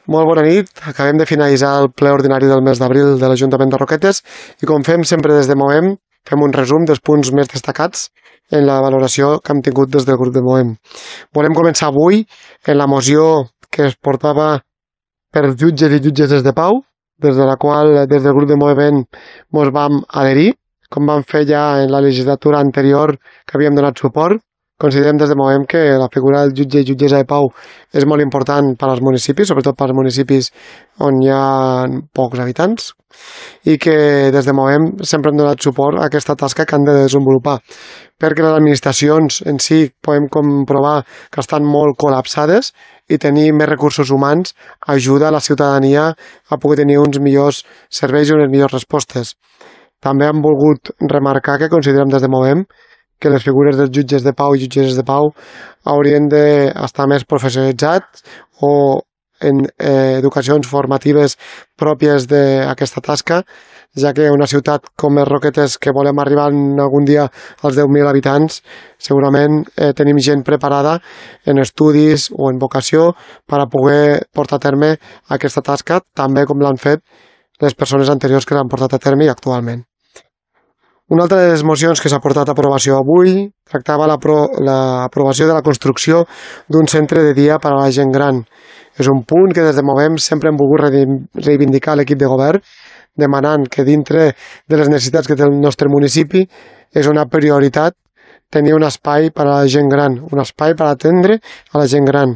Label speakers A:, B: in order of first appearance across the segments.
A: Molt bona nit. Acabem de finalitzar el ple ordinari del mes d'abril de l'Ajuntament de Roquetes i com fem sempre des de Movem, fem un resum dels punts més destacats en la valoració que hem tingut des del grup de Movem. Volem començar avui en la moció que es portava per jutges i jutgesses de pau, des de la qual des del grup de Movem ens vam adherir, com vam fer ja en la legislatura anterior que havíem donat suport. Considerem des de Movem que la figura del jutge i jutgessa de pau és molt important per als municipis, sobretot per als municipis on hi ha pocs habitants, i que des de Movem sempre hem donat suport a aquesta tasca que han de desenvolupar, perquè les administracions en si podem comprovar que estan molt col·lapsades i tenir més recursos humans ajuda a la ciutadania a poder tenir uns millors serveis i unes millors respostes. També hem volgut remarcar que considerem des de Movem que les figures dels jutges de pau i jutgesses de pau haurien d'estar més professionalitzats o en educacions formatives pròpies d'aquesta tasca, ja que una ciutat com les Roquetes, que volem arribar algun dia als 10.000 habitants, segurament tenim gent preparada en estudis o en vocació per a poder portar a terme aquesta tasca, també com l'han fet les persones anteriors que l'han portat a terme i actualment. Una altra de les mocions que s'ha portat a aprovació avui tractava l'aprovació de la construcció d'un centre de dia per a la gent gran. És un punt que des de Movem sempre hem volgut reivindicar l'equip de govern, demanant que dintre de les necessitats que té el nostre municipi és una prioritat tenir un espai per a la gent gran, un espai per atendre a la gent gran.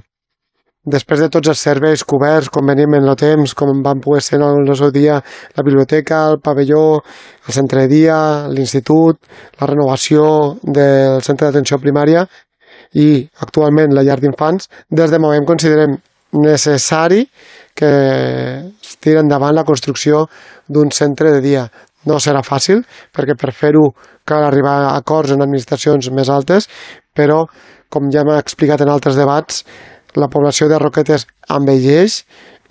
A: Després de tots els serveis coberts, com venim en el temps, com van poder ser en el seu dia la biblioteca, el pavelló, el centre de dia, l'institut, la renovació del centre d'atenció primària i actualment la llar d'infants, des de Movem considerem necessari que es tiri endavant la construcció d'un centre de dia. No serà fàcil, perquè per fer-ho cal arribar a acords en administracions més altes, però, com ja hem explicat en altres debats, la població de Roquetes envelleix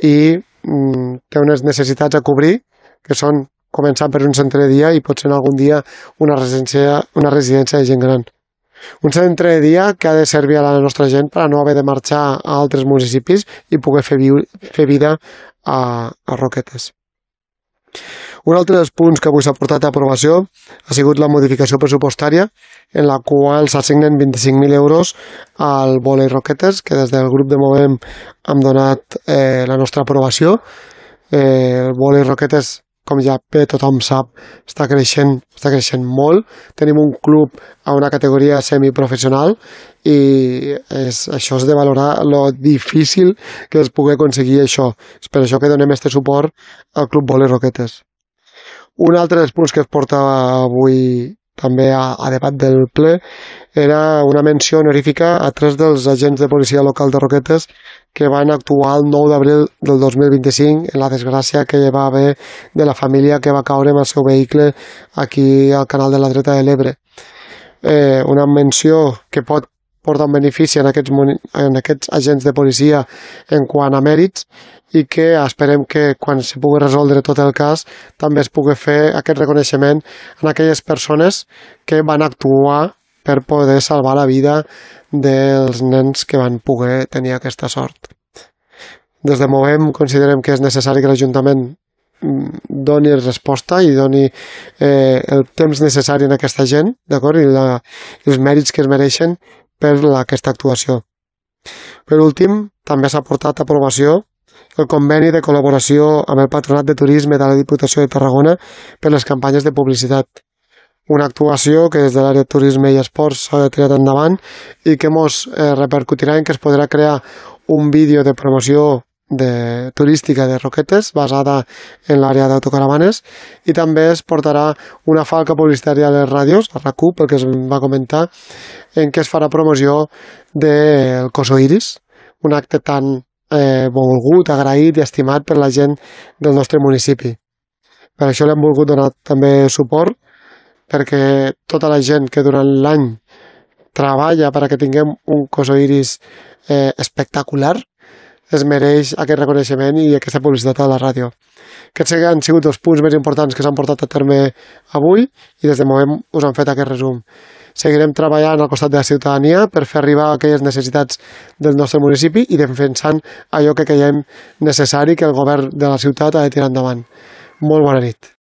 A: i té unes necessitats a cobrir, que són començar per un centre de dia i potser algun dia una residència de gent gran. Un centre de dia que ha de servir a la nostra gent per a no haver de marxar a altres municipis i poder fer vida a Roquetes. Un altre dels punts que avui s'ha portat a aprovació ha sigut la modificació pressupostària en la qual s'assignen 25.000 euros al Volei Roquetes, que des del grup de Movem hem donat la nostra aprovació. El Volei Roquetes, com ja bé tothom sap, està creixent molt. Tenim un club a una categoria semiprofessional i això és de valorar lo difícil que es pugui aconseguir això. És per això que donem este suport al Club Volei Roquetes. Un altre dels punts que es porta avui també a debat del ple era una menció honorífica a 3 dels agents de policia local de Roquetes que van actuar el 9 d'abril del 2025 en la desgràcia que hi va haver de la família que va caure amb el seu vehicle aquí al canal de la Dreta de l'Ebre. Una menció que pot portar un benefici en aquests agents de policia en quant a mèrits i que esperem que quan se pugui resoldre tot el cas també es pugui fer aquest reconeixement en aquelles persones que van actuar per poder salvar la vida dels nens que van poder tenir aquesta sort. Des de Movem considerem que és necessari que l'Ajuntament doni resposta i doni el temps necessari en aquesta gent, d'acord? I els mèrits que es mereixen per aquesta actuació. Per últim, també s'ha portat a aprovació el conveni de col·laboració amb el Patronat de Turisme de la Diputació de Tarragona per les campanyes de publicitat. Una actuació que des de l'àrea de turisme i esports s'ha tirat endavant i que ens repercutirà en que es podrà crear un vídeo de promoció turística de Roquetes basada en l'àrea d'autocaravanes i també es portarà una falca publicitària a les ràdios, a RAC1, pel que es va comentar, en què es farà promoció del Coso Iris, un acte tan volgut, agraït i estimat per la gent del nostre municipi. Per això l'hem volgut donar també suport, perquè tota la gent que durant l'any treballa perquè tinguem un Coso Iris espectacular es mereix aquest reconeixement i aquesta publicitat a la ràdio. Aquests han sigut els punts més importants que s'han portat a terme avui i des de Movem us han fet aquest resum. Seguirem treballant al costat de la ciutadania per fer arribar aquelles necessitats del nostre municipi i defensant allò que creiem necessari que el govern de la ciutat ha de tirar endavant. Molt bona nit.